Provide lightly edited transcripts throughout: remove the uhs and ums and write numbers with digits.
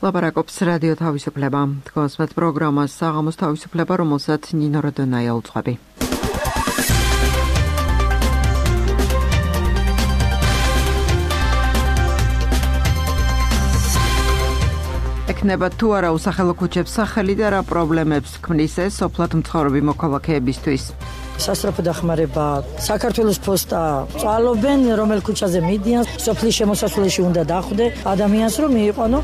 ლაპარაკობს რადიო თავისუფლება. თქვენს პროგრამას საღამოს თავისუფლება, რომელსაც ნინო როდონაია უძღვები. ექნება თუ არა უსახელო ქუჩებს სახელი და რა პრობლემებს ქმნის ეს სოფლად მცხოვრები მოქალაქეებისთვის. სასწრაფო დახმარება საქართველოს პოსტა წვალობენ, რომელ ქუჩაზე მიდიან, სოფლის შემოსასვლელში უნდა დახვდე ადამიანს, რომ მიიყვანო.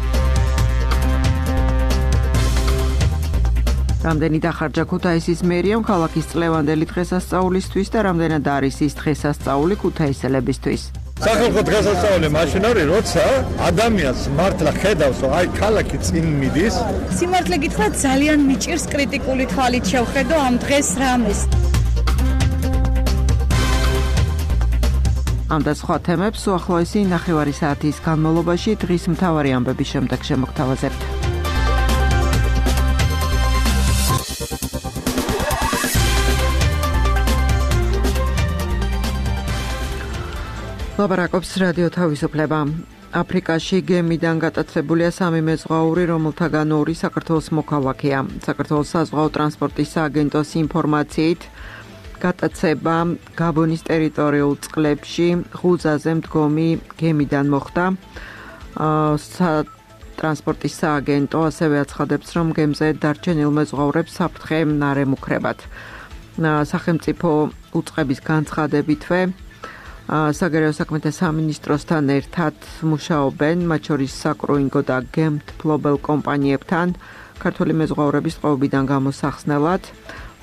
რამდენი დახარჯა ქუთაისის მერიამ ქალაქის წლევანდელი დღესასწაულისთვის და რამდენად არის ის დღესასწაული ქუთაისელებისთვის? სახალხო დღესასწაული მაშინ არის, როცა ადამიანს მართლა ხედავს, რომ აი ქალაქი წინ მიდის. სიმართლე გითხრათ, ძალიან მიჭირს კრიტიკული თვალით შევხედო ამ დღეს რამეს. ამ და სხვა თემებს უახლოესი ნახევარი საათის განმავლობაში დღის მთავარი ამბების შემდეგ შემოგთავაზებთ. ლაპარაკობს რადიო თავისუფლება. აფრიკაში გემიდან გატაცებულია 3 მეზღვაური, რომელთაგან 2 საქართველოს მოქალაქეა. საქართველოს საზღვაო ტრანსპორტის სააგენტოს ინფორმაციით, გატაცება გაბონის ტერიტორიულ წყლებში ღუზაზე მდგომი გემიდან მოხდა. ტრანსპორტის სააგენტო ასევე აცხადებს, რომ გემზე დარჩენილ მეზღვაურებს საფრთხე არ ემუქრებათ. სახელმწიფო უწყების განცხადებითვე საგარეო საქმეთა სამინისტროსთან ერთად მუშაობენ, მათ შორის საკრუინგო და გემთფლობელ კომპანიებთან ქართული მეზღვაურების ტყვეობიდან გამოსახსნელად.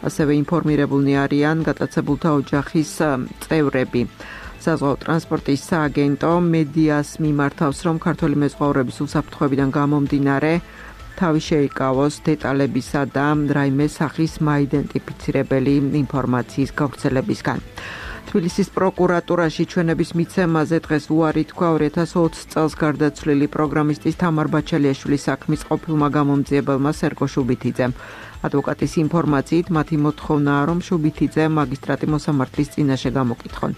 ასევე ინფორმირებულნი არიან გატაცებულთა ოჯახის წევრები. საზღვაო ტრანსპორტის სააგენტო მედიას მიმართავს, რომ ქართული მეზღვაურების უსაფრთხოებიდან გამომდინარე თავი შეიკავოს დეტალებისა და რაიმე სახის მაიდენტიფიცირებელი ინფორმაციის გავრცელებისგან. თბილისის პროკურატურაში ჩვენების მიცემაზე დღეს უარი თქვა 2020 წელს გარდაცვლილი პროგრამისტის თამარ ბაჩალიაშვილის საქმის ყოფილმა გამომძიებელმა სერგო შუბითიძემ. ადვოკატის ინფორმაციით, მათი მოთხოვნაა, რომ შუბითიძე მაგისტრატი მოსამართლის წინაშე გამოკითხონ.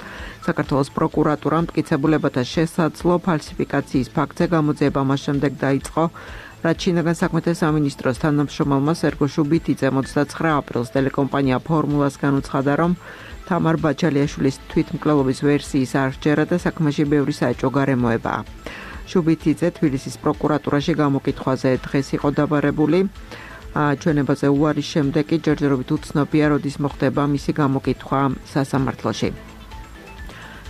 საქართველოს პროკურატურამ მტკიცებულებათა შესაძლო ფალსიფიკაციის ფაქტზე გამოძიება მას შემდეგ დაიწყო, რაც შინაგან საქმეთა სამინისტროს თანამშრომელმა სერგო შუბითიძემ 29 აპრილს ტელეკომპანია ფორმულასგან უცხადა, რომ თამარ ბაჩალიაშვილის თვითმკვლელობის ვერსიის არ სჯერა და საქმეში ბევრი საეჭვო გარემოებაა. შუბითიძე თბილისის პროკურატურაში გამოკითხვაზე დღეს იყო დაბარებული. ჩვენებაზე უარის შემდეგ კი ჯერჯერობით უცნობია, როდის მოხდება მისი გამოკითხვა სასამართლოში.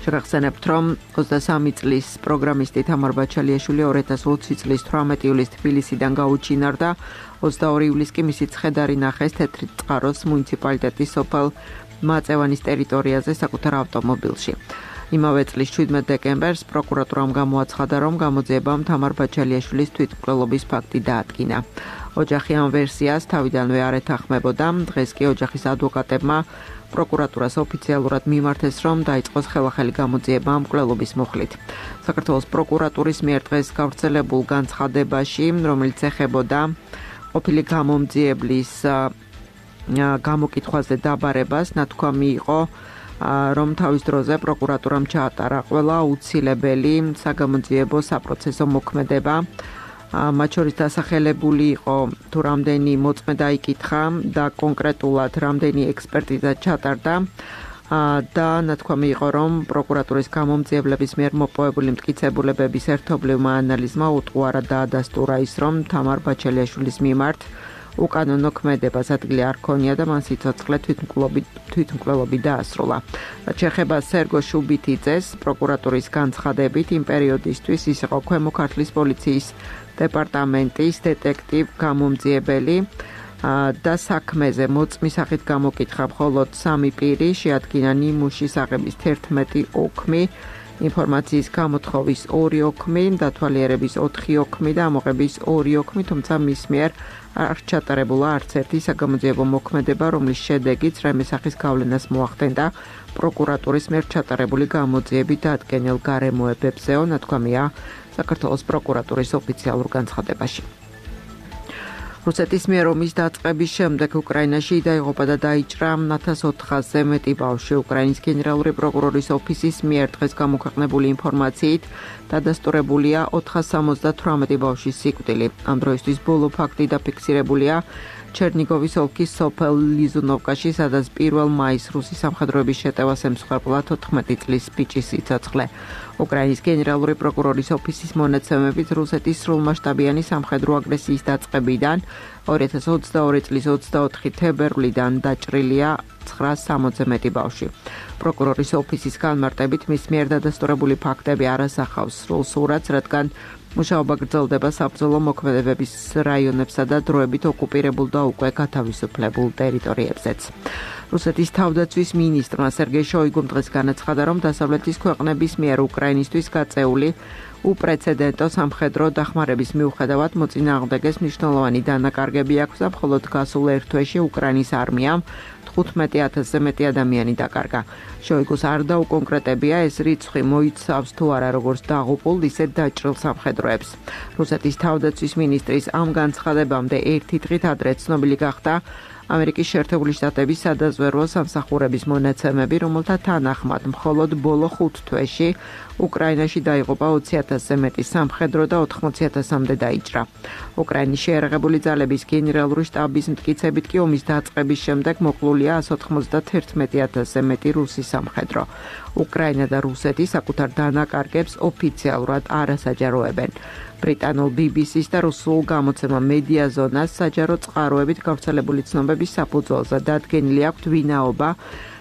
შეგახსენებთ, რომ 23 წლის პროგრამისტი თამარ ბაჩალიაშვილი 2020 წლის 18 ივლისს თბილისიდან გაუჩინარდა, 22 ივლისს კი მისი ცხედარი ნახეს თეთრი წყაროს მუნიციპალიტეტის სოფელ მაწევანის ტერიტორიაზე საკუთარ ავტომობილში. იმავე წლის 17 დეკემბერს პროკურატურამ გამოაცხადა, რომ გამოძიებამ თამარ ბაჩალიაშვილის თვითმკვლელობის ფაქტი დაადგინა. ოჯახი ამ ვერსიას თავიდანვე არ ეთანხმებოდა. დღეს კი ოჯახის ადვოკატებმა პროკურატურას ოფიციალურად მიმართეს, რომ დაიწყოს ხელახალი გამოძიება მკვლელობის მუხლით. საქართველოს პროკურატურის მიერ დღეს გავრცელებულ განცხადებაში, რომელიც ეხებოდა ყოფილი გამომძიებლის გამოკითხვაზე დაბარებას, ნათქვამი იყო, რომ თავის დროზე პროკურატურამ ჩაატარა ყველა აუცილებელი საგამოძიებო საპროცესო მოქმედება. მათ შორის დასახელებული იყო თუ რამდენი მოწმე დაიკითხა და კონკრეტულად რამდენი ექსპერტიზა ჩატარდა და ნათქვამი იყო, რომ პროკურატურის გამომძიებლების მიერ მოპოვებული მტკიცებულებების ერთობლივმა ანალიზმა უტყუარა დაადასტურა ის, რომ თამარ ბაჩალიაშვილის მიმართ უკანონო ქმედებას ადგილი არ ქონია და მან სიცოცხლე თვითმკვლელობი დაასრულა. რაც შეეხება სერგო შუბითიძეს, პროკურატურის განცხადებით იმ პერიოდისთვის ის იყო ქვემო ქართლის პოლიციის დეპარტამენტის დეტექტივ გამომძიებელი და საქმეზე მოწმის სახით გამოკითხა მხოლოდ 3 პირი, შეადგინა ნიმუშის აღების 11 ოქმი, ინფორმაციის გამოთხოვის 2 ოქმი, დათვალიერების 4 ოქმი და ამოღების 2 ოქმი, თუმცა მის მიერ არ ჩატარებულა არც ერთი საგამოძიებო მოქმედება, რომლის შედეგიც რაიმე სახის გავლენას მოახდენდა პროკურატურის მიერ ჩატარებული გამოძიებით დადგენილ გარემოებებზეო, ნათქვამია საქართველოს პროკურატურის ოფიციალურ განცხადებაში. რუსეთის მიერ ომის დაწყების შემდეგ უკრაინაში დაიღუპა და დაიჭრა 1400-ზე მეტი ბავშვი. უკრაინის გენერალური პროკურორის ოფისის მიერ დღეს გამოქვეყნებული ინფორმაციით დადასტურებულია 478 ბავშვის სიკვდილი. ამ დროისთვის ბოლო ფაქტი დაფიქსირებულია ჩერნიგოვის ოლქის სოფელ ლიზუნოვკაში, სადაც 1 მაისს რუსი სამხედროების შეტევას ემსხვერპლა 14 წლის ბიჭის სიცოცხლე. უკრაინის გენერალური პროკურორის ოფისის მონაცემებით რუსეთის სრულმასშტაბიანი სამხედრო აგრესიის დაწყებიდან 2022 წლის 24 თებერვლიდან დაჭრილია 960-ზე მეტი ბავშვი. პროკურორის ოფისის განმარტებით მის მიერ დადასტურებული ფაქტები არ ასახავს სრულ სურათს, რადგან მუშაობა გრძელდება საბრძოლო მოქმედებების რაიონებსა და დროებით ოკუპირებულ და უკვე გათავისუფლებულ ტერიტორიებზეც. რუსეთის თავდაცვის მინისტრმა სერგეი შოიგუმ დღეს განაცხადა, რომ დასავლეთის ქვეყნების მიერ უკრაინისთვის გაწეული უპრეცედენტო სამხედრო დახმარების მიუხედავად მოწინააღმდეგეს მნიშვნელოვანი დანაკარგები აქვს და მხოლოდ გასულ ერთ თვეში უკრაინის არმიამ 15,000-ზე მეტი ადამიანი დაკარგა. შოიგუს არ დაუკონკრეტებია ეს რიცხვი მოიცავს თუ არა როგორც დაღუპულ, ისე დაჭრილ სამხედროებს. რუსეთის თავდაცვის მინისტრის ამ განცხადებამდე ერთი დღით ადრე ცნობილი გახდა ამერიკის შეერთებული შტატების სადაზვერვო სამსახურების მონაცემები, რომელთა თანახმად მხოლოდ ბოლო 5 თვეში უკრაინაში დაიღუპა 20,000-ზე მეტი სამხედრო და 80,000-მდე დაიჭრა. უკრაინის შეიარაღებული ძალების გენერალური შტაბის მტკიცებით კი ომის დაწყების შემდეგ მოკლულია 191,000-ზე მეტი რუსი სამხედრო. უკრაინა და რუსეთი საკუთარ დანაკარგებს ოფიციალურად არ ასაჯაროებენ. ბრიტანულ BBC-ს და რუსულ გამოცემა მედიაზონას საჯარო წყაროებით გავრცელებული ცნობების საფუძველზე დადგენილი აქვთ ვინაობა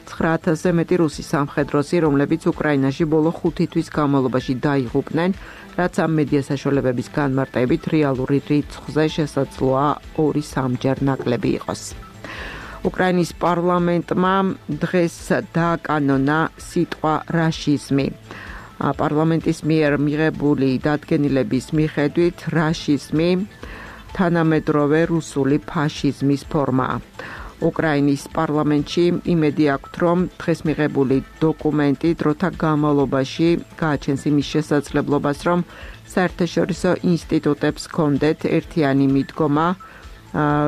9,000-ზე მეტი რუსი სამხედროსი, რომლებიც უკრაინაში ბოლო 5 თვის განმავლობაში დაიღუპნენ, რაც ამ მედია საშუალებების განმარტებით რეალური რიცხვზე შესაძლოა 2-3 ნაკლები იყოს. უკრაინის პარლამენტმა დღეს დააკანონა სიტყვა რაშიზმი. პარლამენტის მიერ მიღებული დადგენილების მიხედვით რაშიზმი თანამედროვე რუსული ფაშიზმის ფორმაა. უკრაინის პარლამენტში იმედი აქვთ, რომ დღეს მიღებული დოკუმენტი დროთა განმავლობაში გააჩენს იმის შესაძლებლობას, რომ საერთაშორისო ინსტიტუტებს ჰქონდეთ ერთიანი მიდგომა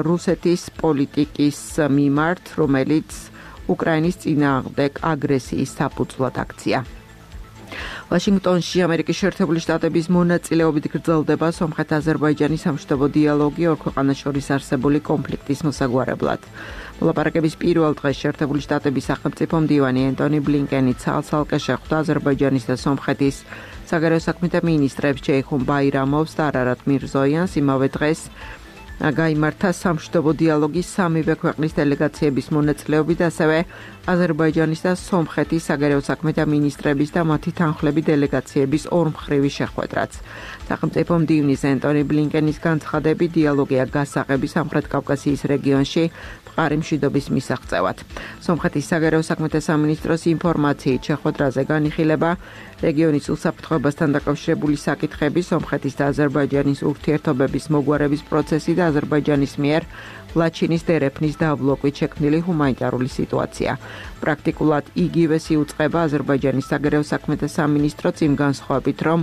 რუსეთის პოლიტიკის მიმართ, რომელიც უკრაინის წინააღმდეგ აგრესიის საფუძვლად აქცია. ვაშინგტონში ამერიკის შეერთებული შტატების მონაწილეობით გრძელდება სომხეთ-აზერბაიჯანის სამშვიდობო დიალოგი ორ ქვეყანას შორის არსებული კონფლიქტის მოსაგვარებლად. მოლაპარაკების პირველ დღეს შეერთებული შტატების სახელმწიფო მდივანი ენტონი ბლინკენი ცალ-ცალკე შეხვდა აზერბაიჯანის და სომხეთის საგარეო საქმეთა მინისტრებს ჯეიხუნ ბაირამოვს და არარატ მირზოიანს. იმავე დღეს გაიმართა სამშვიდობო დიალოგის სამივე ქვეყნის დელეგაციების მონაწილეობით, ასევე აზერბაიჯანის და სომხეთის საგარეო საქმეთა მინისტრების და მათი თანხლები დელეგაციების ორმხრივი შეხვედრაც. სახელმწიფო მდივნის ენტონი ბლინკენის განცხადებით დიალოგია გასაღები სამხრეთ კავკასიის რეგიონში მყარი მშვიდობის მისაღწევად. სომხეთის საგარეო საქმეთა სამინისტროს ინფორმაციით შეხვედრაზე განიხილება რეგიონის უსაფრთხოებასთან დაკავშირებული საკითხები, სომხეთის და აზერბაიჯანის ურთიერთობების მოგვარების პროცესი და აზერბაიჯანის მიერ ლაჩინის დერეფნის დაბლოკვით შექმნილი ჰუმანიტარული სიტუაცია. პრაქტიკულად იგივეს იუწყება აზერბაიჯანის საგარეო საქმეთა სამინისტროც იმ განსხვავებით, რომ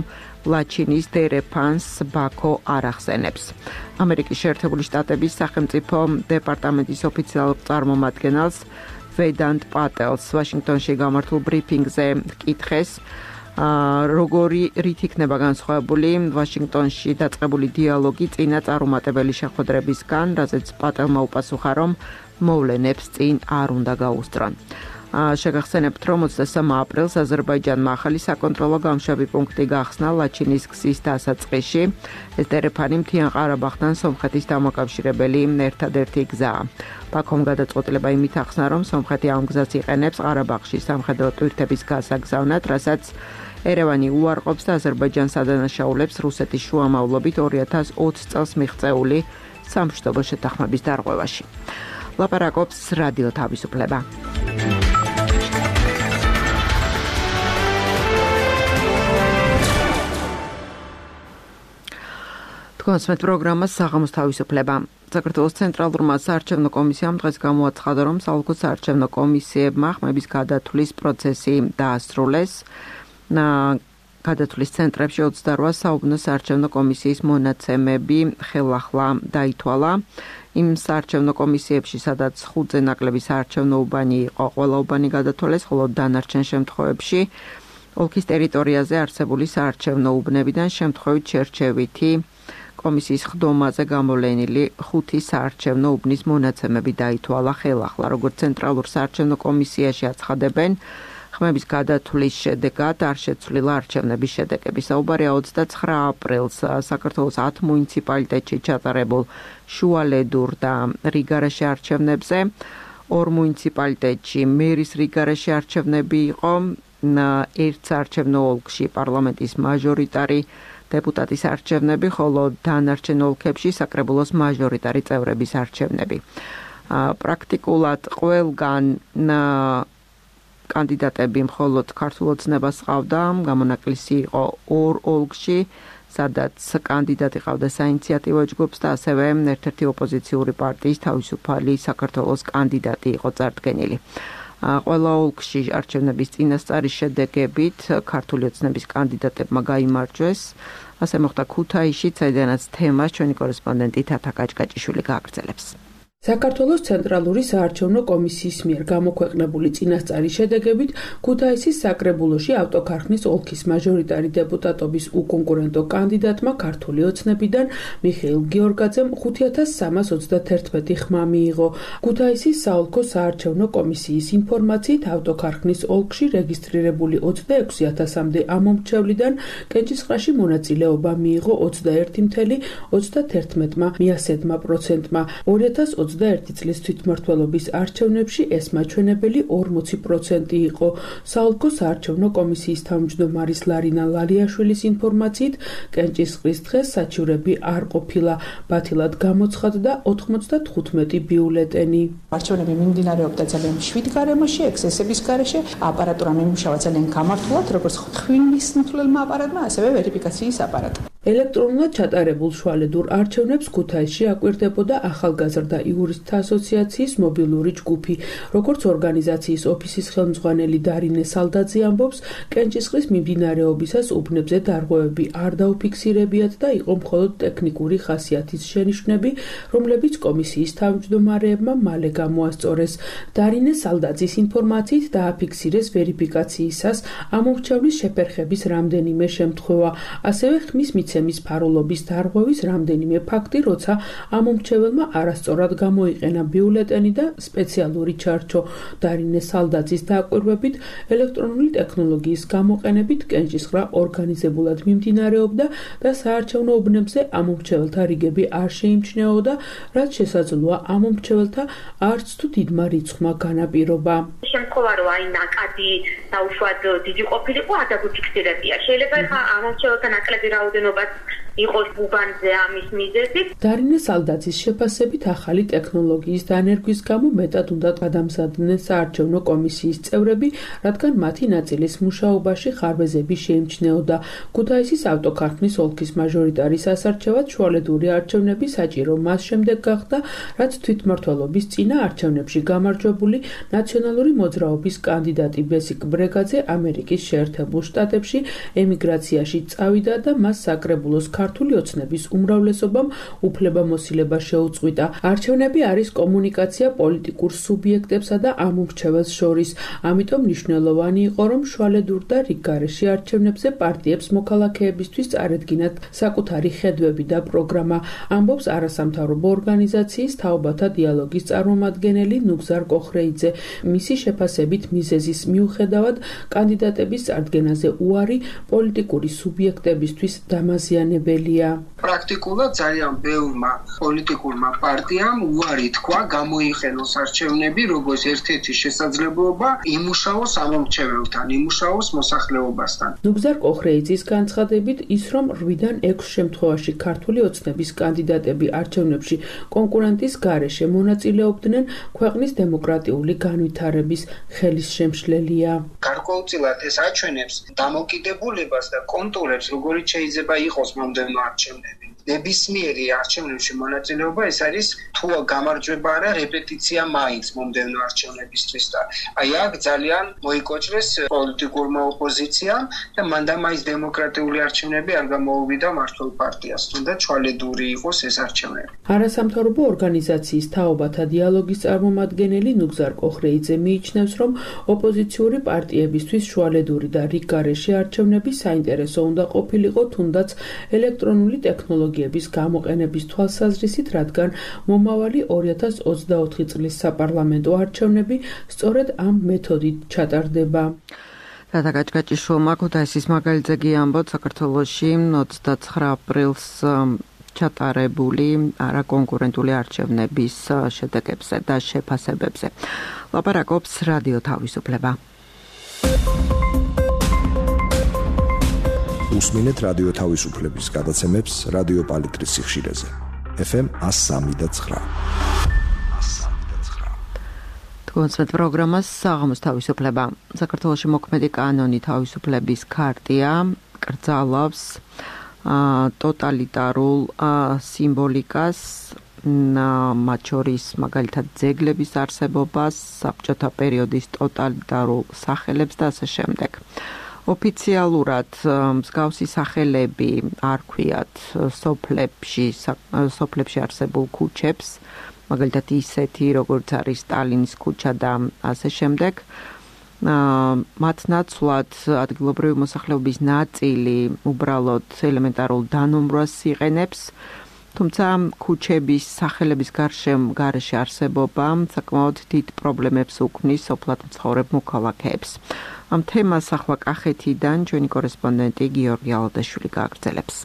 ლაჩინის დერეფანს ბაქო არ ახსენებს. ამერიკის შეერთებული შტატების სახელმწიფო დეპარტამენტის ოფიციალურ წარმომადგენელს ვედანტ პატელს ვაშინგტონში გამართულ ბრიფინგზე კითხეს, როგორი რით იქნება განსხვავებული ვაშინგტონში დაწყებული დიალოგი წინა წარუმატებელი შეხვედრებისგან, რაზეც პატელმა უპასუხა, რომ მოვლენებს წინ არ უნდა გაუსწრონ. შეგახსენებთ, რომ 23 აპრილს აზერბაიჯანმა ახალი საკონტროლო გამშვები პუნქტი გახსნა ლაჩინის გზის დასაწყისში. ეს დერეფანი მთიან ყარაბაღთან სომხეთის დამაკავშირებელი ერთადერთი გზაა. ბაქომ გადაწყვეტილება იმით ახსნა, რომ სომხეთი ამ გზას იყენებს ყარაბაღში სამხედრო ტვირთების გასაგზავნად, რასაც ერევანი უარყოფს და აზერბაიჯანს ადანაშაულებს რუსეთის შუამავლობით 2020 წელს მიღწეული სამშვიდობო შეთანხმების დარღვევაში. ლაპარაკობს რადიო თავისუფლება. კონსმეთ პროგრამას საღამოს თავისუფლება. საქართველოს ცენტრალურმა საარჩევნო კომისიამ დღეს გამოაცხადა, რომ საოლქო საარჩევნო კომისიებმა ხმების გადათვლის პროცესი დაასრულეს. გადათვლის ცენტრებში 28 საუბნო საარჩევნო კომისიის მონაცემები ხელახლა დაითვალა. იმ საარჩევნო კომისიებში, სადაც 5-ზე ნაკლები საარჩევნო უბანი იყო, ყველა უბანი გადათვალეს, ხოლო დანარჩენ შემთხვევებში ოლქის ტერიტორიაზე არსებული საარჩევნო უბნებიდან შემთხვევით შერჩევითი კომისიის ხდომაზე გამოვლენილი 5 საარჩევნო უბნის მონაცემები დაითვალა ხელახლა, როგორც ცენტრალურ საარჩევნო კომისიაში აცხადებენ. ხმების გადათვლის შედეგად არ შეცვლილა არჩევნების შედეგები. საუბარია 29 აპრილს საქართველოს 10 მუნიციპალიტეტში ჩატარებულ შუალედურ და რიგარეშე არჩევნებზე. 2 მუნიციპალიტეტში მერის რიგარეშე არჩევნები იყო. ერთ საარჩევნო ოლქში პარლამენტის მაჟორიტარი დეპუტატის არჩევნები, ხოლო დანარჩენ ოლქებში საკრებულოს მაჟორიტარი წევრების არჩევნები. პრაქტიკულად ყველგან კანდიდატები მხოლოდ ქართულ ოცნებას ჰყავდა, გამონაკლისი იყო 2 ოლქში, სადაც კანდიდატი ყავდა საინიციატივო ჯგუფს და ასევე ერთ-ერთი ოპოზიციური პარტიის თავისუფალი საქართველოს კანდიდატი იყო წარდგენილი. ყველა ოლქში არჩევნების წინასწარის შედეგებით ქართული ოცნების კანდიდატებმა გაიმარჯვეს. ასე მოხდა ქუთაისში, საიდანაც თემას ჩვენი კორესპონდენტი თათა კაჭკაჭიშვილი გააგრძელებს. საქართველოს ცენტრალური საარჩევნო კომისიის მიერ გამოქვეყნებული წინასწარის შედეგებით ქუთაისის საკრებულოში ავტოქარხნის ოლქის მაჟორიტარი დეპუტატობის უკონკურენტო კანდიდატმა ქართული ოცნებიდან მიხეილ გიორგაძემ 5331 ხმა მიიღო. ქუთაისის საოლქო საარჩევნო კომისიის ინფორმაციით ავტოქარხნის ოლქში რეგისტრირებული 26000-მდე ამომრჩევლიდან კენჭისყრაში მონაწილეობა მიიღო 21.31%-მა. 2021 წლის თვითმმართველობის არჩევნებში ეს მაჩვენებელი 40% იყო. საოლქო საარჩევნო კომისიის თავმჯდომარის ლარინა ლალიაშვილის ინფორმაციით, კენჭისყრის დღეს საჩივრები არ ყოფილა. ბათილად გამოცხადდა 95 ბიულეტენი. არჩევნები მიმდინარეობდა ძალიან მშვიდ გარემოში, ექსესების გარეშე, აპარატურა მიმუშავა ძალიან გამართულად, როგორც ხვინის მთვლელმა აპარატმა, ასევე ვერიფიკაციის აპარატმა. ელექტრონულად ჩატარებულ შუალედურ არჩევნებს ქუთაისში აკვირდებოდა ახალგაზრდა იურისტთა ასოციაციის მობილური ჯგუფი. როგორც ორგანიზაციის ოფისის ხელმძღვანელი დარინე სალდაძე ამბობს, კენჭისყრის მიმდინარეობისას უბნებზე დარღვევები არ დაუფიქსირებიათ და იყო მხოლოდ ტექნიკური ხასიათის შენიშვნები, რომლებიც კომისიის თავმჯდომარეებმა მალე გამოასწორეს. დარინე სალდაძის ინფორმაციით დააფიქსირეს ვერიფიკაციისას ამომრჩევლის შეფერხების რამდენიმე შემთხვევა, ასევე ხმის მიცემის ფარულობის დარღვევის რამდენიმე ფაქტი, როცა ამომრჩეველმა არასწორად გამოიყენა ბიულეტენი და სპეციალური ჩარჩო. დარინე სალდაძის დაკვირვებით, ელექტრონული ტექნოლოგიის გამოყენებით კენჭისყრა ორგანიზებულად მიმდინარეობდა და საარჩევნო უბნებზე ამომრჩეველთა რიგები არ შეიმჩნეოდა, რაც შესაძლოა ამომრჩეველთა არც თუ დიდმა რიცხვმა განაპირობა. შემთხვევა რომ აი ნაკადი დაუშვად დიდი ყოფილიყო, არ დაგუფიქსირებია. შეიძლება ხა ამომრჩეველთა ნაკლები რაოდენობა იყოს უბანზე ამის მიზეზით. დარინე სალდაძის შეფასებით ახალი ტექნოლოგიის დანერგვის გამო მეტად უნდა გადამზადდნენ საარჩევნო კომისიის წევრები, რადგან მათი ნაწილის მუშაობაში ხარბეზები შეიმჩნეოდა. ქუთაისის ავტოქარხნის ოლქის მაჟორიტარის ასარჩევად შუალედური არჩევნები საჭირო მას შემდეგ გახდა, რაც თვითმმართველობის წინა არჩევნებში გამარჯვებული ნაციონალური მოძრაობის კანდიდატი ბესიკ ბრეგაძე ამერიკის შეერთებულ შტატებში ემიგრაციაში წავიდა და მას საკრებულოს ქართული ოცნების უმრავლესობამ უფლებამოსილება შეუწყვიტა. არჩევნები არის კომუნიკაცია პოლიტიკურ სუბიექტებსა და ამომრჩეველს შორის. ამიტომ მნიშვნელოვანი იყო, რომ შუალედურ და რიგგარეშე არჩევნებზე პარტიებს მოქალაქეებისთვის წარედგინათ საკუთარი ხედვები და პროგრამა, ამბობს არასამთავრობო ორგანიზაციის თაობათა დიალოგის წარმომადგენელი ნუგზარ კოხრეიძე. მისი შეფასებით მიზეზის მიუხედავად კანდიდატების წარდგენაზე უარი პოლიტიკური სუბიექტებისთვის დამაზიანებელია. პრაქტიკულად ძალიან ბევრმა პოლიტიკურმა პარტიამ უარი თქვა გამოიყენოს არჩევნები როგორც ერთ-ერთი შესაძლებლობა იმუშაოს ამომრჩეველთან, იმუშაოს მოსახლეობასთან. ნუგზარ კოხრეიძის განცხადებით ის, რომ 8-დან 6 შემთხვევაში ქართული ოცნების კანდიდატები არჩევნებში კონკურენტის გარეშე მონაწილეობდნენ, ქვეყნის დემოკრატიული განვითარების ხელისშემშლელია. გარკვეულწილად ეს აჩვენებს დამოკიდებულებას და კონტურებს, როგორიც შეიძლება იყოს მომდევნო არჩევნები. ნებისმიერი არჩევნებში მონაწილეობა ეს არის თუ გამარჯვება არა რეპეტიცია მაინც მომდევნო არჩევნებისთვის და აი აქ ძალიან მოიკოჭრეს პოლიტიკურმა ოპოზიციამ და მანდამაის დემოკრატიული არჩევნები არ გამოუვიდა მმართველ პარტიას, თუნდაც ჩვალედური იყოს ეს არჩევნები. არასამთავრობო ორგანიზაციის თაობათა დიალოგის წარმომადგენელი ნუგზარ კოხრეიძე მიიჩნევს, რომ ოპოზიციური პარტიებისთვის შუალედური და რიგ გარეშე არჩევნები საინტერესო უნდა ყოფილიყო თუნდაც ელექტრონული ტექნოლოგიების გამოყენების თვალსაზრისით, რადგან მომავალი 2024 წლის საპარლამენტო არჩევნები სწორედ ამ მეთოდით ჩატარდება. რათა გაჭგაჭიშვილმა ქუთაისის მაგალითზე ამბობ საქართველოში 29 აპრილს ჩატარებული არაკონკურენტული არჩევნების შედეგებზე და შეფასებებზე. ლაპარაკობს რადიო თავისუფლება. უსმინეთ რადიო თავისუფლების გადაცემებს რადიო პალიტრის სიხშირეზე. FM 103.9. კონცერტ პროგრამას საღამოს თავისუფლება. საქართველოში მოქმედი კანონი თავისუფლების ქარტია კრძალავს ტოტალიტარულ სიმბოლიკას, მათ შორის მაგალითად ძეგლების არსებობას, საბჭოთა პერიოდის ტოტალიტარულ სახელებს და ასე შემდეგ. ოფიციალურად მსგავსი სახელები არ ქვიათ სოფლებში არსებულ ქუჩებს, მაგალითად ისეთი როგორც არის სტალინის ქუჩა და ასე შემდეგ. მათ ნაცვლად ადგილობრივი მოსახლეობის ნაწილი უბრალოდ ელემენტარულ დანომრვას იყენებს, თუმცა ქუჩების სახელების გარეშე არსებობა საკმაოდ დიდ პრობლემებს უქმნის სოფლად მცხოვრებ მოქალაქეებს. ამ თემას ახლა კახეთიდან ჩვენი კორესპონდენტი გიორგი ალადაშვილი გააგრძელებს.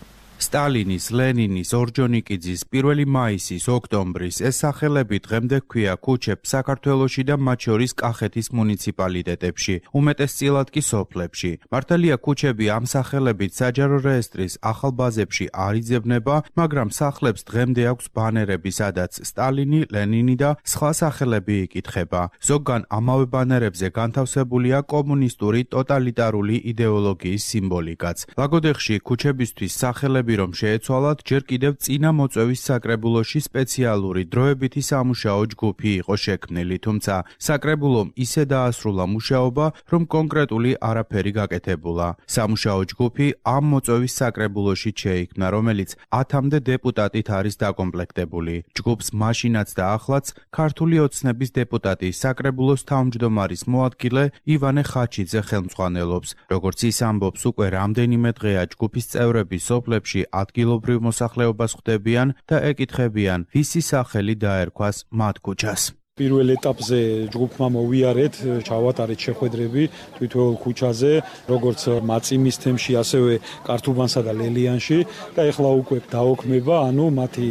სტალინის, ლენინის, ორჯონიკიძის, 1 მაისის, ოქტომბრის ეს სახელები დღემდე ჰქვია ქუჩებს საქართველოში და მათ შორის კახეთის მუნიციპალიტეტებში, უმეტესწილად კი სოფლებში. მართალია ქუჩები ამ სახელებით საჯარო რეესტრის ახალ ბაზებში არ იძებნება, მაგრამ სახლებს დღემდე აქვს ბანერები, სადაც სტალინი, ლენინი და სხვა სახელები იკითხება. ზოგან ამავე ბანერებზე განთავსებულია კომუნისტური ტოტალიტარული იდეოლოგიის სიმბოლიკაც. ლაგოდეხში ქუჩებისთვის სახელები რომ შეეცვალათ, ჯერ კიდევ წინა მოწვევის საკრებულოში სპეციალური დროებითი სამუშაო ჯგუფი იყო შექმნილი, თუმცა საკრებულომ ისე დაასრულა მუშაობა, რომ კონკრეტული არაფერი გაკეთებულა. სამუშაო ჯგუფი ამ მოწვევის საკრებულოში შეიქმნა, რომელიც 10-მდე დეპუტატით არის დაკომპლექტებული. ჯგუფს მაშინაც და ახლაც ქართული ოცნების დეპუტატი საკრებულოს თავმჯდომარის მოადგილე ივანე ხაჩიძე ხელმძღვანელობს. როგორც ის ამბობს, უკვე რამდენიმე დღეა ჯგუფის წევრები სოფლებში ადგილობრივ მოსახლეობას ხვდებიან და ეკითხებიან, ვისი სახელი დაერქვას მათ ქუჩას. პირველ ეტაპზე ჯგუფმა მოვიარეთ, ჩავატარეთ შეხვედრები თვითოეულ ქუჩაზე, როგორც მაწიმის თემში, ასევე კართუბანსა და ლელიანში და ეხლა უკვე დაოქმება, მათი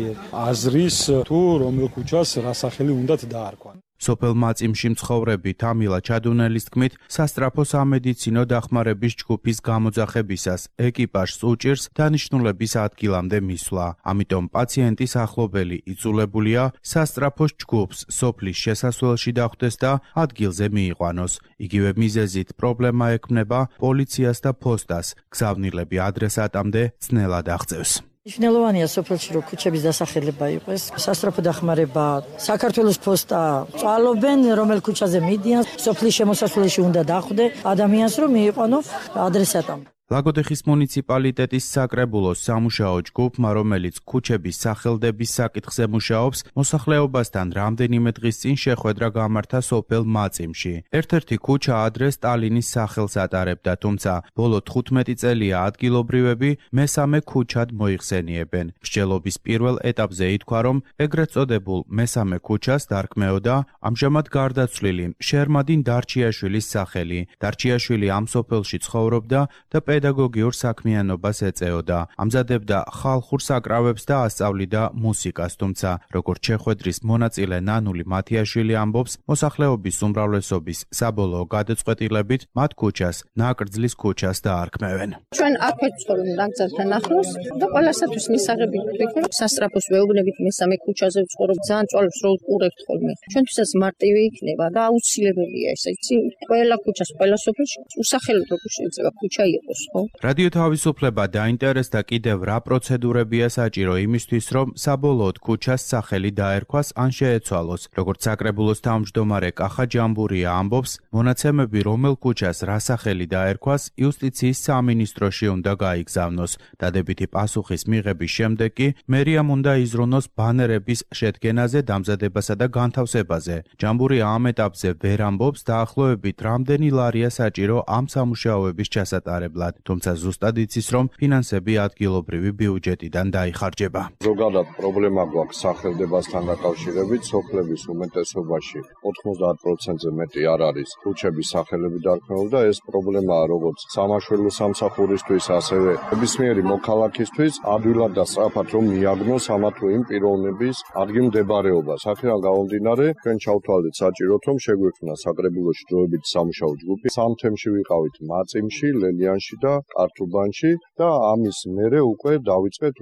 აზრის თუ რომელ ქუჩას რა სახელი უნდათ დაარქვან. სოფელ მაწიმში მცხოვრები თამილა ჩადუნელის თქმით, სასტრაფო სამედიცინო დახმარების ჯგუფის გამოძახებისას ეკიპაჟს უჭირს დანიშნულების ადგილამდე მისვლა. ამიტომ პაციენტის ახლობელი იწულებულია სასტრაფოს ჯგუფს სოფლის შესასვლელში დახვდეს და ადგილზე მიიყვანოს. იგივე მიზეზით პრობლემა ექმნება პოლიციას და ფოსტას. გზავნილები ადრესატამდე ძნელად აღწევს. მნიშვნელოვანია სოფელში რომ ქუჩების დასახელება იყოს. სასტრაფო დახმარება საქართველოს ფოსტა წვალობენ, რომელ ქუჩაზე მიდიან, სოფლის შემოსასვლელში უნდა დახვდე ადამიანს რომ მიიყვანო ადრესატამდე. ლაგოდეხის მუნიციპალიტეტის საკრებულოს სამუშაო ჯგუფმა, რომელიც ქუჩების სახელდების საკითხზე მუშაობს, მოსახლეობასთან რამდენიმე დღის წინ შეხვედრა გამართა სოფელ მაწიმში. ერთ-ერთი ქუჩა ადრე სტალინის სახელს ატარებდა, თუმცა ბოლო 15 წელია ადგილობრივები მესამე ქუჩად მოიხსენიებენ. მსჯელობის პირველ ეტაპზე ითქვა, რომ ეგრეთ წოდებულ მესამე ქუჩას დარქმეოდა ამჟამად გარდაცვლილი შერმადინ დარჩიაშვილის სახელი. დარჩიაშვილი ამ სოფელში ცხოვრობდა და პედაგოგიურ საქმიანობას ეწეოდა. ამზადებდა ხალხურ საკრავებს და ასწავლიდა მუსიკას, თუმცა როგორც შეხვედრის მონაწილე ნანული მათიაშვილი ამბობს, მოსახლეობის უმრავლესობის საბოლოო გადაწყვეტილებით მათ ქუჩას ნაკრძლის ქუჩას დაარქმევენ. ჩვენ აქვე ვცხოვრობ ნაკრძალთან ახლოს და ყველასათვის მისაღები ვიქნებ სასტრაფოს ვეუბნებით მესამე ქუჩაზე ვცხოვრობ. ძალიან წვალებს რო უყურებთ ხოლმე. ჩვენთვისაც მარტივი იქნება და აუცილებელია ეს, იცი? ყველა ქუჩას, ყველა სოფელში უსახელოდ როგორ შეიძლება ქუჩა იყოს. იყო. რადიო თავისუფლება დაინტერესდა კიდევ რა პროცედურებია საჭირო იმისთვის, რომ საბოლოოდ ქუჩას სახელი დაერქვას ან შეეცვალოს. როგორც საკრებულოს თავმჯდომარე კახა ჯამბურია ამბობს, მონაცემები რომელ ქუჩას რა სახელი დაერქვას იუსტიციის სამინისტროში უნდა გაიგზავნოს. დადებითი პასუხის მიღების შემდეგ კი მერიამ უნდა იზრუნოს ბანერების შედგენაზე, დამზადებასა და განთავსებაზე. ჯამბურია ამ ეტაპზე ვერ ამბობს დაახლოებით რამდენი ლარია საჭირო ამ სამუშაოების ჩასატარებლად, თუმცა ზუსტად იცის, რომ ფინანსები ადგილობრივი ბიუჯეტიდან დაიხარჯება. ზოგადად პრობლემა გვაქვს სახელდებასთან დაკავშირებით, სოფლების უმეტესობაში 90%-ზე მეტი არ არის ქუჩების სახელები დარქმეული და ეს პრობლემაა როგორც სამაშველო სამსახურისთვის, ასევე ნებისმიერი მოქალაქისთვის ადვილად და სწრაფად რომ მიაგნოს ამა თუ იმ პიროვნების ადგილმდებარეობას. აქედან გამომდინარე, ჩვენ ჩავთვალეთ საჭიროდ, რომ შეგვექმნა საკრებულოში დროებით სამუშაო ჯგუფი. სამ თემში ვიყავით მაწიმში, ლელიანში და კართუბანში და ამის მერე უკვე დავიწყეთ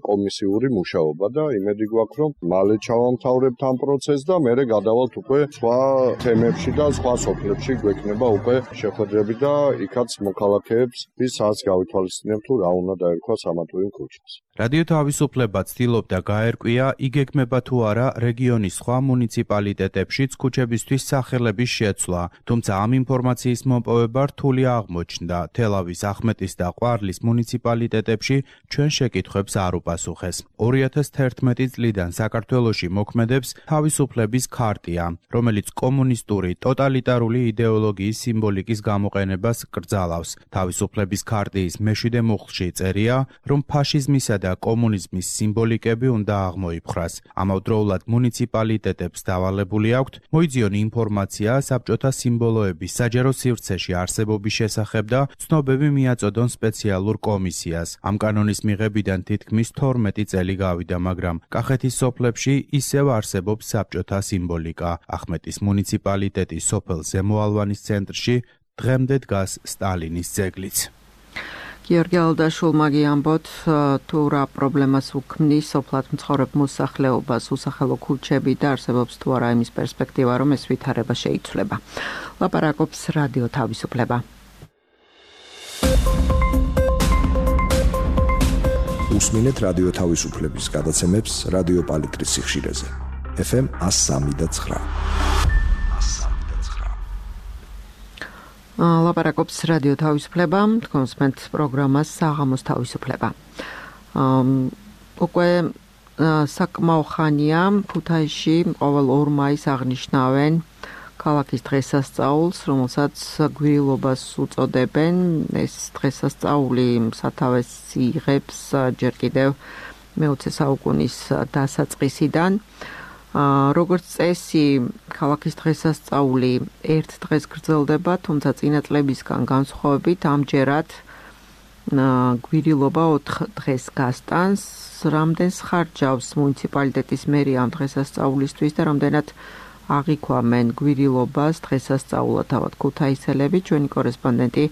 კომისიური მუშაობა და იმედი გვაქვს, რომ მალე ჩავამთავრებთ ამ პროცესს და მერე გადავალთ უკვე სხვა თემებში და სხვა სოფლებში გვექნება უკვე შეხვედრები და იქაც მოქალაქეებს ვისაც გავითვალისწინებთ თუ რა უნდა დაერქვას ამა თუ იმ ქუჩას. რადიო თავისუფლება ცდილობდა გაერკვია, იგეგმება თუ არა რეგიონის სხვა მუნიციპალიტეტებშიც ქუჩებისთვის სახელების შეცვლა, თუმცა ამ ინფორმაციის მოპოვება რთული აღმოჩნდა. თელავის, ახმეტის და ყვარლის მუნიციპალიტეტებში ჩვენ შეკითხვებს არ უპასუხეს. 2011 წლიდან საქართველოში მოქმედებს თავისუფლების ქარტია, რომელიც კომუნისტური ტოტალიტარული იდეოლოგიის სიმბოლიკის გამოყენებას კრძალავს. თავისუფლების ქარტიის მეშვიდე მუხლში წერია, რომ ფაშიზმისა და კომუნიზმის სიმბოლიკები უნდა აღმოიფხრას. ამავდროულად მუნიციპალიტეტებს დავალებული აქვთ მოიძიონ ინფორმაცია საბჭოთა სიმბოლოების საჯარო სივრცეში არსებობის შესახებ და ცნობები მიაწოდონ სპეციალურ კომისიას. ამ კანონის მიღებიდან თითქმის 12 წელი გავიდა, მაგრამ კახეთის სოფლებში ისევ არსებობს საბჭოთა სიმბოლიკა. ახმეტის მუნიციპალიტეტის სოფელ ზემოალვანის ცენტრში დღემდე დგას სტალინის ძეგლიც. გიორგი ალდაშულმა გიამბოთ, თუ რა პრობლემას უქმნის სოფლად მცხოვრებ მოსახლეობას, უსახელო ქუჩები და არსებობს თუ არა იმის პერსპექტივა, რომ ეს ვითარება შეიცვლება. ლაპარაკობს რადიო თავისუფლება. უსმინეთ რადიო თავისუფლების გადაცემებს რადიო პალიტრის სიხშირეზე. FM 103.9. ლაპარაკობს რადიო თავისუფლება, კონსპენტ პროგრამას საღამოს თავისუფლება. უკვე საკმაო ხანია ქუთაისში ყოველ 2 მაისს აღნიშნავენ ქალაქის დღესასწაულს, რომელსაც გვირილობას უწოდებენ. ეს დღესასწაული სათავეს იღებს ჯერ კიდევ მე-20 საუკუნის დასაწყისიდან. როგორც წესი, ქალაქის დღესასწაული ერთ დღეს გრძელდება, თუმცა წინა წლებისგან განსხვავებით ამჯერად გვირილობა 4 დღეს გასტანს. რამდენს ხარჯავს მუნიციპალიტეტის მერია ამ დღესასწაულისთვის და რამდენად აღიქვამენ გვირილობას დღესასწაულად თავად ქუთაისელები? ჩვენი კორესპონდენტი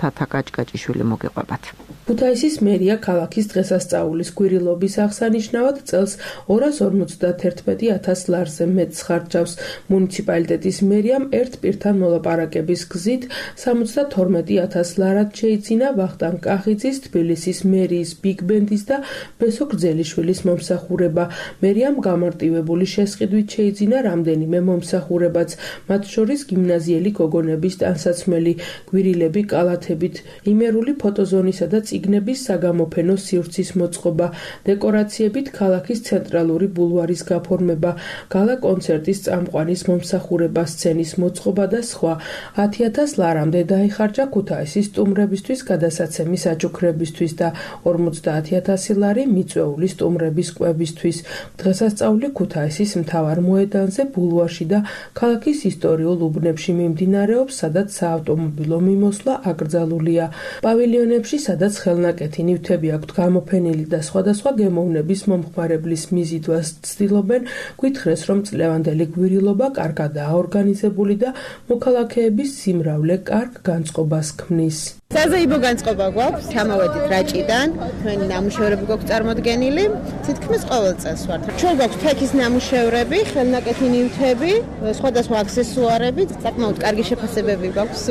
თათა კაჭკაჭიშვილი მოგიყვებათ. ქუთაისის მერია ქალაქის დღესასწაულის გვირილობის აღსანიშნავად წელს 251,000 ლარზე მეტს ხარჯავს. მუნიციპალიტეტის მერიამ ერთ პირთან მოლაპარაკების გზით 72,000 ლარად შეიძინა ვახტანგ კახიძის, თბილისის მერიის ბიგ-ბენდის და ბესო გრძელიშვილის მომსახურება. მერიამ გამარტივებული შესყიდვით შეიძინა რამდენიმე მომსახურებაც, მათ შორის გიმნაზიელი გოგონების ტანსაცმელი, გვირილები კალათებით, იმერული ფოტოზონისა და წიგნების საგამოფენო სივრცის მოწყობა, დეკორაციებით ქალაქის ცენტრალური ბულვარის გაფორმება, გალა კონცერტის წამყვანის მომსახურება, სცენის მოწყობა და სხვა. 10,000 ლარამდე დაიხარჯა ქუთაისის სტუმრებისთვის გადასაცემი საჩუქრებისთვის და 50,000 ლარი მიწვეული სტუმრების კვებისთვის. დღესასწაული ქუთაისის მთავარ მოედანზე, ბულვარში და ქალაქის ისტორიულ უბნებში მიმდინარეობს, სადაც საავტომობილო მიმოსვლა აკრძალულია. პავილიონებში, სადაც ხელნაკეთი ნივთები აქვთ გამოფენილი და სხვადასხვა გემოვნების მომხმარებლის მიზიდვას ცდილობენ, გვითხრეს, რომ წლევანდელი გვირილობა კარგადაა ორგანიზებული და მოქალაქეების სიმრავლე კარგ განწყობას ქმნის. საზეიმო განწყობა გვაქვს, ჩამოვედით რაჭიდან, თქვენი ნამუშევრები გვაქვს წარმოდგენილი, თითქმის ყოველ წელს ვართ. ჩვენ გვაქვს ფექის ნამუშევრები, ხელნაკეთი ნივთები, სხვადასხვა აქსესუარები, საკმაოდ კარგი შეფასებები გვაქვს.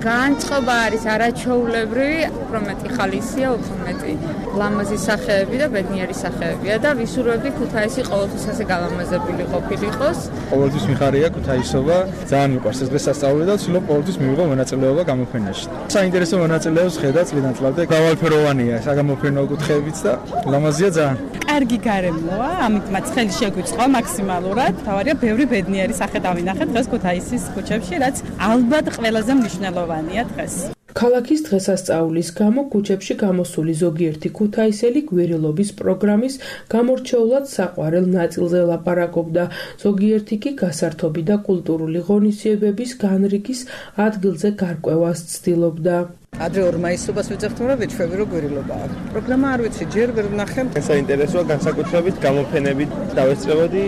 განწყობა არის არაჩვეულებრივი, უფრო მეტი ხალისია, უფრო მეტი ლამაზი სახეები და ბედნიერი სახეებია და ვისურვებდი ქუთაისი ყოველთვის ასე გალამაზებული ყოფილიყოს. ყოველთვის მიხარია ქუთაისობა, ძალიან მიყვარს ეს დღესასწაული და ვცდილობ ყოველთვის მივიღო მონაწილეობა გამოფენაში. საინტერესო მონაწილეობს ხედა წლიდან წლამდე გავალფეროვანია საგამოფენო კუთხეებიც და ლამაზია ძალიან. კარგი გარემოა, ამით მათ ხელი შეგვიწყო მაქსიმალურად. თავარია ბევრი ბედნიერი სახე დავინახეთ დღეს ქუთაისის ქუჩებში, რაც ალბათ ყველაზე მნიშვნელოვანია დღეს. ქალაქის დღესასწაულის გამო ქუჩებში გამოსული ზოგიერთი ქუთაისელი გვირილობის პროგრამის გამორჩეულად საყვარელ ნაწილზე ლაპარაკობდა, ზოგიერთი კი გასართობი და კულტურული ღონისძიებების განრიგის ადგილზე გარკვევას ცდილობდა. ადრე 2 მაისობას ვიძახთმ რა ვეჩვევი რო გვირილობაა. პროგრამა არ ვიცი, ჯერ ვერ ვნახე. საინტერესოა განსაკუთრებით გამოფენებით დავესწრებოდი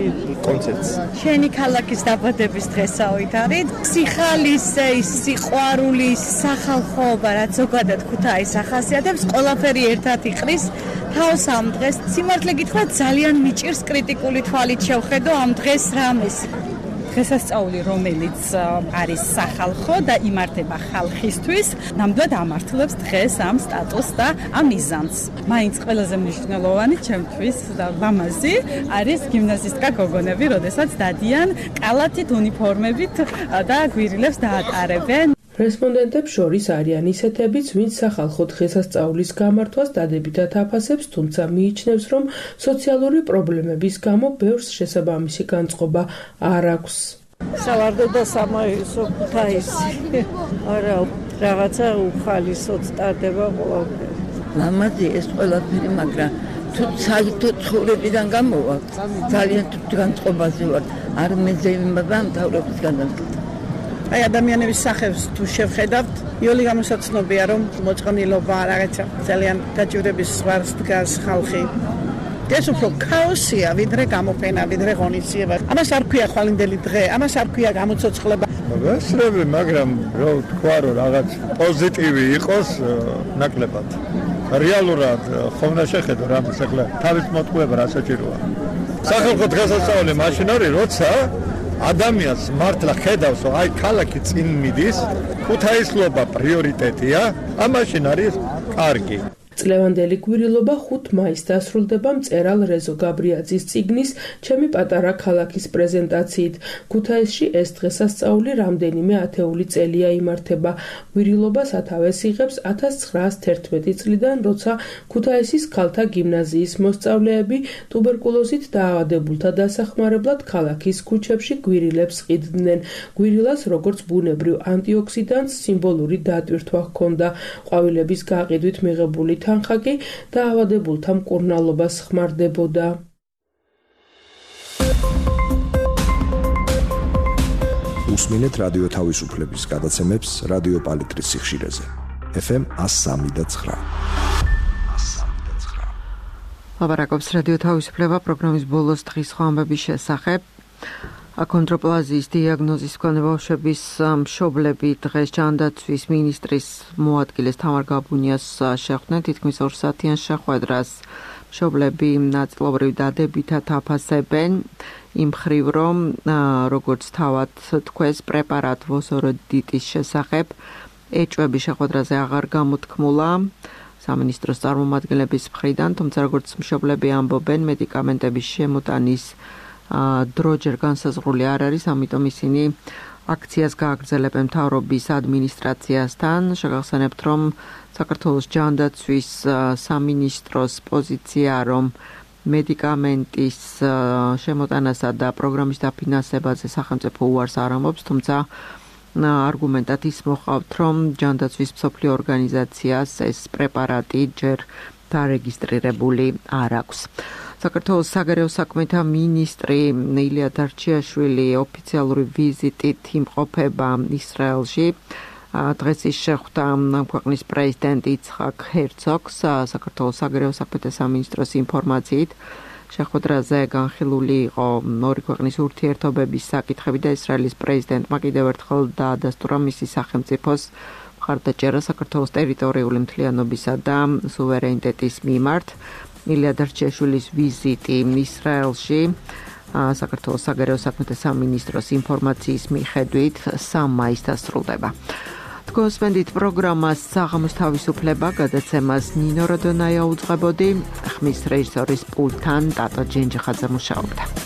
კონცერტს. შენი ქალაქის დაბადების დღესაობით არის სიხალისე, სიყვარული, სახალხოობა, რაც ზოგადად ქუთაისს ახასიათებს, ყველაფერი ერთად იყრის თავს ამ დღეს. სიმართლე გითხრათ, ძალიან მიჭირს კრიტიკული თვალით შევხედო ამ დღეს რამეს. დღესასწაული, რომელიც არის სახალხო და იმართება ხალხისთვის, ნამდვილად ამართლებს დღეს ამ სტატუსს და ამ მიზანს. მაინც ყველაზე მნიშვნელოვანი ჩემთვის და ლამაზი არის გიმნაზისტკა გოგონები, როდესაც დადიან კალათით, უნიფორმებით და გვირილებს დაატარებენ. რესპონდენტებს შორის არიან ისეთებიც, ვინც სახალხო დღესასწაულის გამართვას დადებითად აფასებს, თუმცა მიიჩნევს, რომ სოციალური პრობლემების გამო ბევრს შესაბამისი განწყობა არ აქვს. სავარდოდა სამაისო ქუთაისი. არა, რაღაცა უხალისოდ სტარდება ყველაფერი. ლამაზი ეს ყველაფერი, მაგრამ თუ საერთოდ ცხოვრებიდან გამოვა, ძალიან თუ განწყობაზე ვარ. არ მეძებნება მთავრობის განაცხადი. აი ადამიანების სახებს თუ შევხედავთ, იოლი გამოსაცნობია, რომ მოწყნილობა რაღაცა ძალიან დაჭირების ზღვარს დგას ხალხი. ეს უფრო ქაოსია, ვიდრე გამოფენა, ვიდრე ღონისძიება. ამას არ ქვია ხვალინდელი დღე, ამას არ ქვია გამოცოცხლება. ვესწრები, მაგრამ რო თქვა, რომ რაღაც პოზიტივი იყოს ნაკლებად. რეალურად ხომ უნდა შეხედო რამის ახლა თავის მოტყუება რა საჭიროა. სახალხო დღესასწაული მაშინ არის, როცა ადამიანს მართლა ხედავს, რომ აი ქალაქი წინ მიდის, ქუთაისლობა პრიორიტეტია, ამაშინ არის კარგი. წლევანდელი გვირილობა 5 მაისს დასრულდება მწერალ რეზო გაბრიაძის წიგნის ჩემი პატარა ქალაქის პრეზენტაციით. ქუთაისში ეს დღესასწაული რამდენიმე ათეული წელია იმართება. გვირილობა სათავეს იღებს 1911 წლიდან, როცა ქუთაისის ქალთა გიმნაზიის მოსწავლეები ტუბერკულოზით დაავადებულთა დასახმარებლად ქალაქის ქუჩებში გვირილებს ყიდდნენ. გვირილას როგორც ბუნებრივ ანტიოქსიდანტს სიმბოლური დატვირთვა ჰქონდა. ყვავილების გაყიდვით მიღებული თანხა კი დაავადებულთა მკურნალობას ხმარდებოდა. უსმინეთ რადიო თავისუფლების გადაცემებს რადიო პალიტრის სიხშირეზე. FM 103.9. ლაპარაკობს რადიო თავისუფლება პროგრამის ბოლოს დღის ხვამბების შესახებ. აკონდროპლაზიის დიაგნოზის მქონე ბავშვების მშობლები დღეს ჯანდაცვის ministris მოადგილეს თამარ გაბუნიას შეხვდნენ თითქმის 2 საათიან შეხვედრას. მშობლები ნაწილობრივ დადებითად აფასებენ იმ მხრივ, რომ როგორც თავად თქვეს პრეპარატ ვოსოროდიტის შესახებ ეჭვები შეხვედრაზე აღარ გამოთქმულა სამინისტროს წარმომადგენლების მხრიდან, თუმცა როგორც მშობლები ამბობენ, მედიკამენტების შემოტანის დრო ჯერ განსაზღვრული არ არის, ამიტომ ისინი აქციას გააგრძელებენ მთავრობის ადმინისტრაციასთან. შეგახსენებთ, რომ საქართველოს ჯანდაცვის სამინისტროს პოზიცია, რომ მედიკამენტის შემოტანასა და პროგრამის დაფინანსებაზე სახელმწიფო უარს არ ამბობს, თუმცა არგუმენტად ის მოყავთ, რომ ჯანდაცვის მსოფლიო ორგანიზაციას ეს პრეპარატი ჯერ დარეგისტრირებული არ აქვს. საქართველოს საგარეო საქმეთა მინისტრი ილია დარჩიაშვილი ოფიციალური ვიზიტით იმყოფება ისრაელში. დღეს ის შეხვდა ქვეყნის პრეზიდენტ იცხაკ ჰერცოგს. საქართველოს საგარეო საქმეთა სამინისტროს ინფორმაციით შეხვედრაზე განხილული იყო ორი ქვეყნის ურთიერთობების საკითხები და ისრაელის პრეზიდენტმა კიდევ ერთხელ დაადასტურა მისი სახელმწიფოს მხარდაჭერა საქართველოს ტერიტორიული მთლიანობისა და სუვერენიტეტის მიმართ. ილია დარჩეშვილის ვიზიტი ისრაელში საქართველოს საგარეო საქმეთა სამინისტროს ინფორმაციის მიხედვით 3 მაისს დასრულდება. თქვენსმენდით პროგრამას საღამოს თავისუფლება გადაცემას ნინო როდონაია უძღვებოდი, ხმის რეჟისორის პულტთან ტატო ჯენჯიხაძე მუშაობდა.